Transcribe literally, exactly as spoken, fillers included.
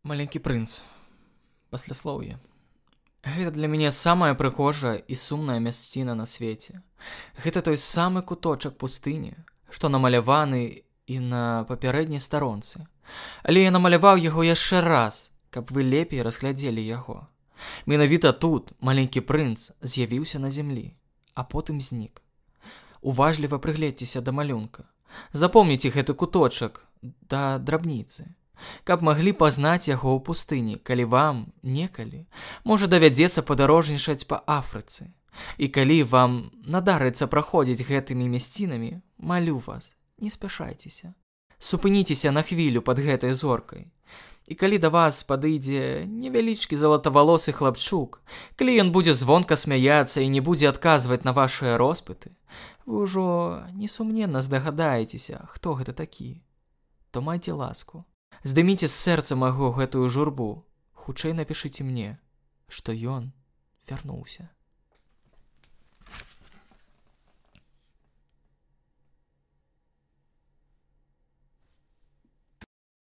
Маленькі прынц. Пасляслоўе. Гэта для мяне самая прыгожая і сумная мясціна на свеце. Гэта той самы куточак пустыні, што намаляваны і на папярэдняй старонцы. Але я намаляваў яго яшчэ раз, каб вы лепей разглядзелі яго. Менавіта тут маленькі прынц з'явіўся на зямлі, а потым знік. Уважліва прыгледзьцеся да малюнка. Запомніце гэты куточак да драбніцы, каб маглі пазнаць яго ў пустыні, калі вам, некалі, можа давядзецца падарожнічаць па Афрыцы. І калі вам надарыцца праходзіць гэтымі мясцінамі, малю вас, не спяшайцеся. Супыніцеся на хвілю пад гэтай зоркай. І калі да вас падыдзе невялічкі залатавалосы хлапчук, калі ён будзе звонка смяяцца і не будзе адказваць на вашыя роспыты, вы ўжо несумненна здагадаецеся, хто гэта такі. То майце ласку. Здыміце з сэрца маго гэтую журбу, хутчэй напішыце мне, што ён вярнуўся.